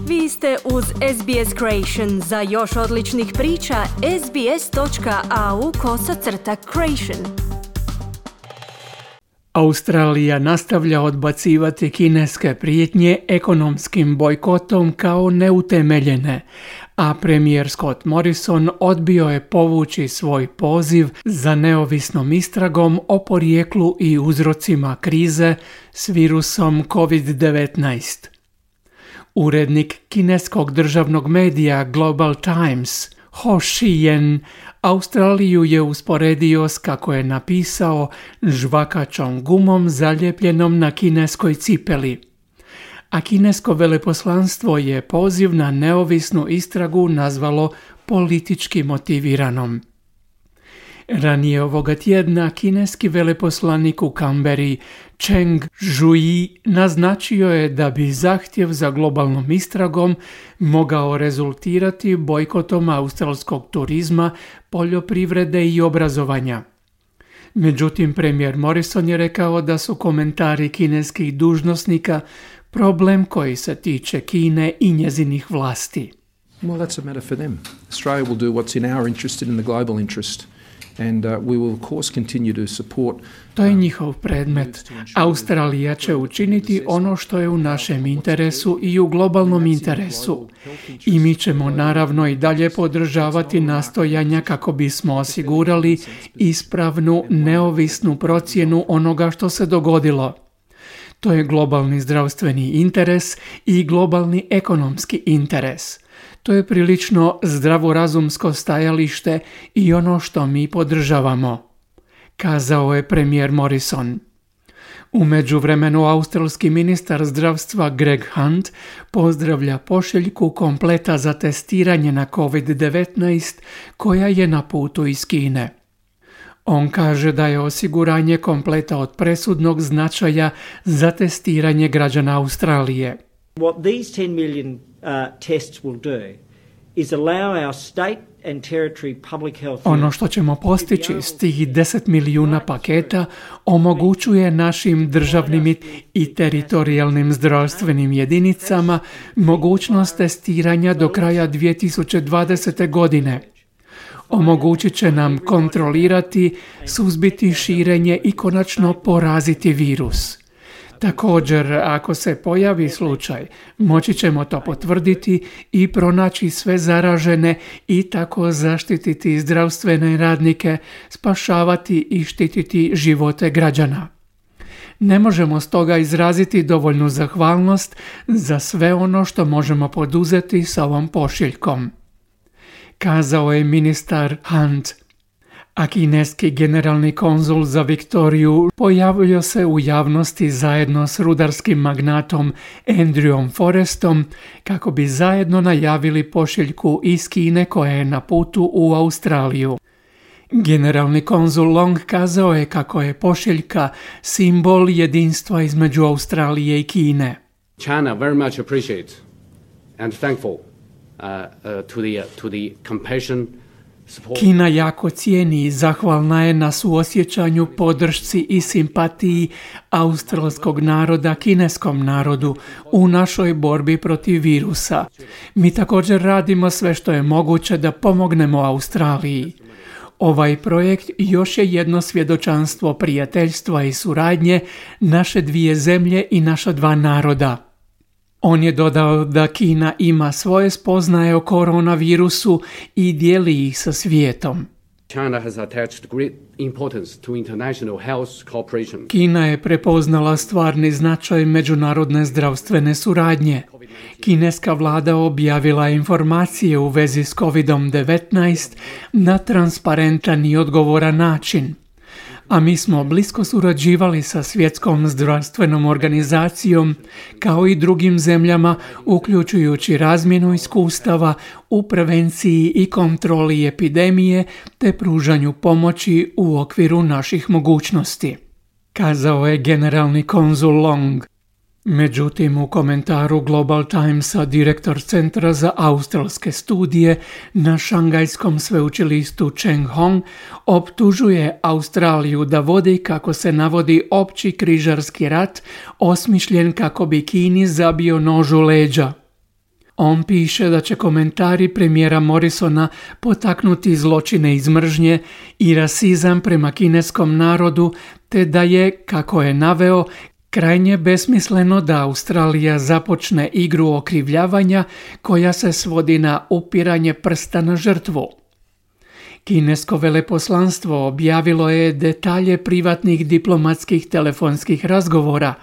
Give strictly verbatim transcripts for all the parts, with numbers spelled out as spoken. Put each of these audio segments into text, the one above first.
Vi ste uz S B S Creation. Za još odličnih priča, sbs.au kosacrta creation. Australija nastavlja odbacivati kineske prijetnje ekonomskim bojkotom kao neutemeljene, a premijer Scott Morrison odbio je povući svoj poziv za neovisnom istragom o porijeklu i uzrocima krize s virusom covid devetnaest. Urednik kineskog državnog medija Global Times, Ho Shiyan, Australiju je usporedio s, kako je napisao, žvakačom gumom zaljepljenom na kineskoj cipeli. A kinesko veleposlanstvo je poziv na neovisnu istragu nazvalo politički motiviranom. Ranije ovoga tjedna kineski veleposlanik u Kamberi Cheng Zhuyi naznačio je da bi zahtjev za globalnom istragom mogao rezultirati bojkotom australskog turizma, poljoprivrede i obrazovanja. Međutim, premijer Morrison je rekao da su komentari kineskih dužnosnika problem koji se tiče Kine i njezinih vlasti. Well, that's a matter for them. Australia will do what's in our interest and in the global interest. And uh, we will of course continue to support. To je njihov predmet. Australija će učiniti ono što je u našem interesu i u globalnom interesu. I mi ćemo naravno i dalje podržavati nastojanja kako bismo osigurali ispravnu, neovisnu procjenu onoga što se dogodilo. To je globalni zdravstveni interes i globalni ekonomski interes. To je prilično zdravorazumsko stajalište i ono što mi podržavamo, kazao je premijer Morrison. U međuvremenu australski ministar zdravstva Greg Hunt pozdravlja pošiljku kompleta za testiranje na covid devetnaest koja je na putu iz Kine. On kaže da je osiguranje kompleta od presudnog značaja za testiranje građana Australije. What these ten million uh, tests will do is allow our state and territory public health. Ono što ćemo postići s tih deset milijuna paketa omogućuje našim državnim i teritorijalnim zdravstvenim jedinicama mogućnost testiranja do kraja dvije tisuće dvadesete. godine. Omogućit će nam kontrolirati, suzbiti širenje i konačno poraziti virus. Također, ako se pojavi slučaj, moći ćemo to potvrditi i pronaći sve zaražene i tako zaštititi zdravstvene radnike, spašavati i štititi živote građana. Ne možemo stoga izraziti dovoljnu zahvalnost za sve ono što možemo poduzeti sa ovom pošiljkom, kazao je ministar Hunt. A kineski generalni konzul za Viktoriju pojavio se u javnosti zajedno s rudarskim magnatom Andrewom Forestom kako bi zajedno najavili pošiljku iz Kine koja je na putu u Australiju. Generalni konzul Long kazao je kako je pošiljka simbol jedinstva između Australije i Kine. China very much appreciate and thankful uh, uh, to the uh, to the compassion. Kina jako cijeni i zahvalna je na suosjećanju, podršci i simpatiji australskog naroda kineskom narodu u našoj borbi protiv virusa. Mi također radimo sve što je moguće da pomognemo Australiji. Ovaj projekt još je jedno svjedočanstvo prijateljstva i suradnje naše dvije zemlje i naša dva naroda. On je dodao da Kina ima svoje spoznaje o koronavirusu i dijeli ih sa svijetom. China has attached great importance to international health cooperation. Kina je prepoznala stvarni značaj međunarodne zdravstvene suradnje. Kineska vlada objavila informacije u vezi s covid devetnaest na transparentan i odgovoran način. A mi smo blisko surađivali sa Svjetskom zdravstvenom organizacijom kao i drugim zemljama, uključujući razmjenu iskustava u prevenciji i kontroli epidemije te pružanju pomoći u okviru naših mogućnosti, kazao je generalni konzul Long. Međutim, u komentaru Global Timesa direktor Centra za australske studije na Šangajskom sveučilištu Cheng Hong optužuje Australiju da vodi, kako se navodi, opći križarski rat osmišljen kako bi Kini zabio nož u leđa. On piše da će komentari premijera Morrisona potaknuti zločine iz mržnje i rasizam prema kineskom narodu, te da je, kako je naveo, krajnje besmisleno da Australija započne igru okrivljavanja koja se svodi na upiranje prsta na žrtvu. Kinesko veleposlanstvo objavilo je detalje privatnih diplomatskih telefonskih razgovora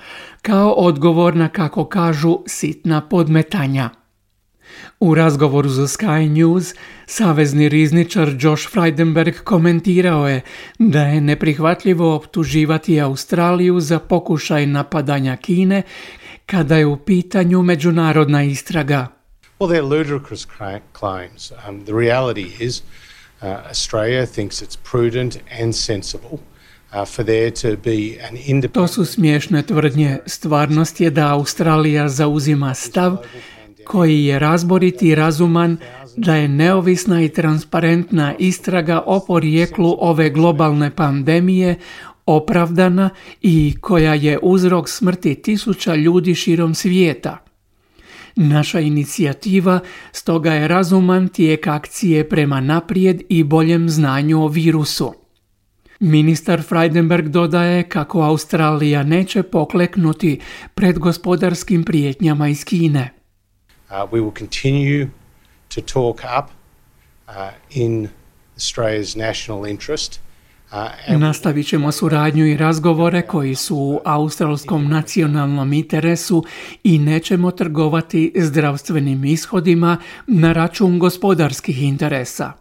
kao odgovor na, kako kažu, sitna podmetanja. U razgovoru za Sky News, savezni rizničar Josh Frydenberg komentirao je da je neprihvatljivo optuživati Australiju za pokušaj napadanja Kine kada je u pitanju međunarodna istraga. Well, they're ludicrous claims. Um, the reality is uh, Australia thinks it's prudent and sensible uh, for there to be an independent... To su smiješne tvrdnje. Stvarnost je da Australija zauzima stav koji je razborit i razuman, da je neovisna i transparentna istraga o porijeklu ove globalne pandemije opravdana i koja je uzrok smrti tisuća ljudi širom svijeta. Naša inicijativa stoga je razuman tijek akcije prema naprijed i boljem znanju o virusu. Ministar Frydenberg dodaje kako Australija neće pokleknuti pred gospodarskim prijetnjama iz Kine. Uh, we will continue to talk up uh, in Australia's national interest. Uh, Nastavit ćemo suradnju i razgovore koji su u australskom nacionalnom interesu i nećemo trgovati zdravstvenim ishodima na račun gospodarskih interesa.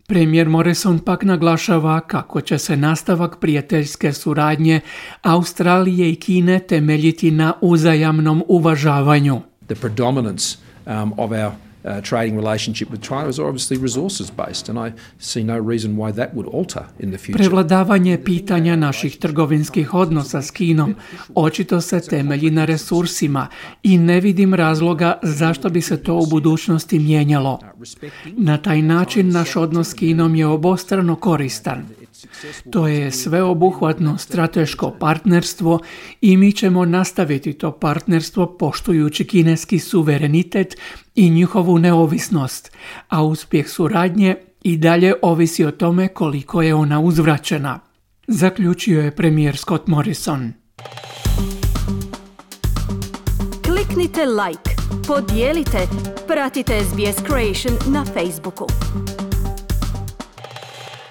Premijer Morrison pak naglašava kako će se nastavak prijateljske suradnje Australije i Kine temeljiti na uzajamnom uvažavanju. The predominance um, of our uh, trading relationship with China is obviously resources based, and I see no reason why that would alter in the future. Prevladavanje pitanja naših trgovinskih odnosa s Kinom očito se temelji na resursima i ne vidim razloga zašto bi se to u budućnosti mijenjalo. Na taj način naš odnos s Kinom je obostrano koristan. To je sveobuhvatno strateško partnerstvo i mi ćemo nastaviti to partnerstvo poštujući kineski suverenitet i njihovu neovisnost, a uspjeh suradnje i dalje ovisi o tome koliko je ona uzvraćena, zaključio je premijer Scott Morrison. Kliknite like, podijelite, pratite S B S Creation na Facebooku.